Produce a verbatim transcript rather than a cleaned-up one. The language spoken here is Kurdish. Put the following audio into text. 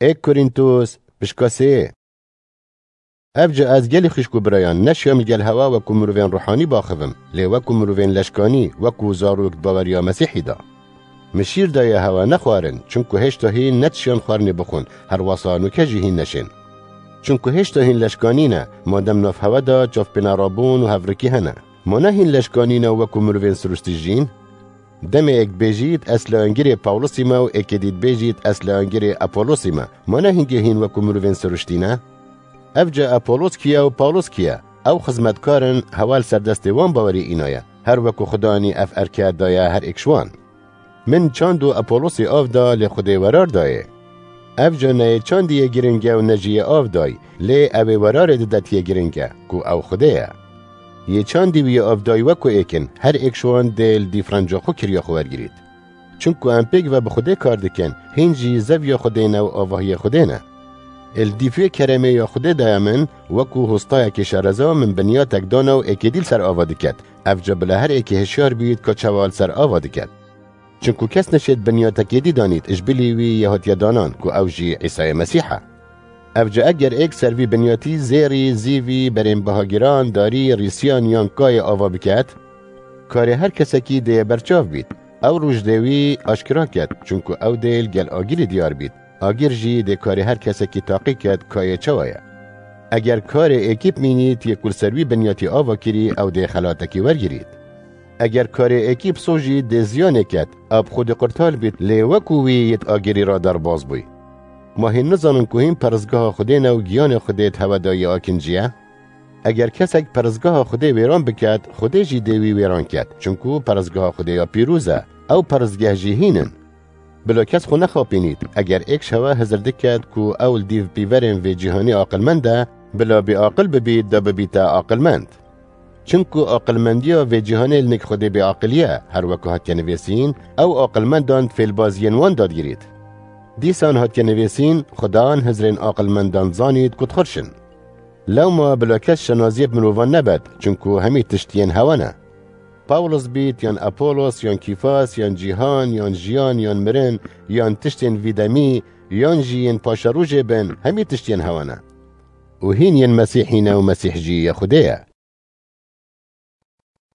Êk Korîntos, pişka sê. Evca ez gelî xwişk û birayan, neşiyam li gel hewa wekû mirovên ruhanî baxivim, lê wekû mirovên leşkanî, wekû zarok di baweriya Mesîhî de. Min şîr daye hewa nexwarin, çimku hêşta hîn netişiyan xwarinê bixwin, herwasa nûke jî hîn neşên. Çimku hêşta hîn leşkanî ne, madem nav hewa de çavpêna rabûn û hevrikî hene. Ma ne hîn leşkanî ne û wekû mirovên siruştî jîn? Demê êk bêjît, ez li angirê Pawlosî me û êkê dî dibêjît, ez li angirê Apolosî me. Ma ne hingê hîn wekû mirovên siruştî ne? Evca Apolos kî ye û Pawlos kî ye? Ew xizmetkar in, hewa li ser destê wan bawerî înaye. Her wekû Xudanî ev erke daye her êk ji wan. Min çand û Apolosî av da, lê Xwedê werar dayê. Evca ne yê çandî yê giring e û ne jî yê av day, lê ew ê werarê dide tiyê giring e, ku ew Xwedê ye. Yê çandî wî yê avdayî wekû êk in, her êk ji wan dê li dîfrenca xwe kiriya xwe wergirît. Çimku em pêk ve bi Xwedê kar dikin, hîn jî zeviya Xwedê ne û avahiyê Xwedê ne. Ê li dîf wê keremê ya Xwedê daye min, wekû hostayekê şereza min binyatek dana û êkê dî li ser ava diket. Evca bila her êkê hişyar bît ka çawa li ser ava diket. Çimku kes neşêt binyatekê dî danît, ji bilî wî yê hatiye danan, ku ew jî Îsayê Mesîh e. Evca eger êk ser vî binyatî zêrî, zîvî, berên bihagiran, darî, rîsiyan yan kayê ava biket, karê her kesekî dê yê berçav bît. Ew roj dê wî aşkira ket, çimku ew dê li gel agirî diyar bît. Agir jî dê karê her kesekî taqî ket, kayê çawa ye. Eger karê êkî bimînît, yê ku li ser wî binyatî ava kirî, ew dê xelatekî wergirît. Eger karê êkî bisojî dê ziyanê ket, a bi Xwedê qurtal bît, lê wekû wî yê di agirî re derbas bûy. Ma hîn nizanin ku hîn peristgeha Xwedê ne û giyanê Xwedê di hewe de yê akincî ye? Eger kesek peristgeha Xwedê wêran biket, Xwedê jî dê wî wêran ket, çimku peristgeha Xwedê ya pîroz e, ew peristgeh jî hîn in. Bila kes xwe nexapînît, eger êk ji hewe hizir diket ku ew li dîv pîverên vê cîhanê aqilmend e, bila bêaqil bibît da bibîte aqilmend. Çimku aqilmendiya vê cîhanê li nik Xwedê bêaqilî ye, her weke hatiye nivîsîn, ew aqilmendan di fêlbaziyên wan de digirît. Dîsan hatiye nivîsîn, Xudan hizrên aqilmendan zanît ku dixurşin. Lewma bila kes şenaziyê bi mirovan nebet, çimku hemî tişt yên hewe ne. Pawlos bît, yan Apolos, yan Kîfas, yan cîhan, yan jiyan, yan mirin, yan tiştên vî demî, yan jî yên paşerojê bin, hemî tişt yên hewe ne. Û hîn yên Mesîhî ne û Mesîh jî yê Xwedê ye.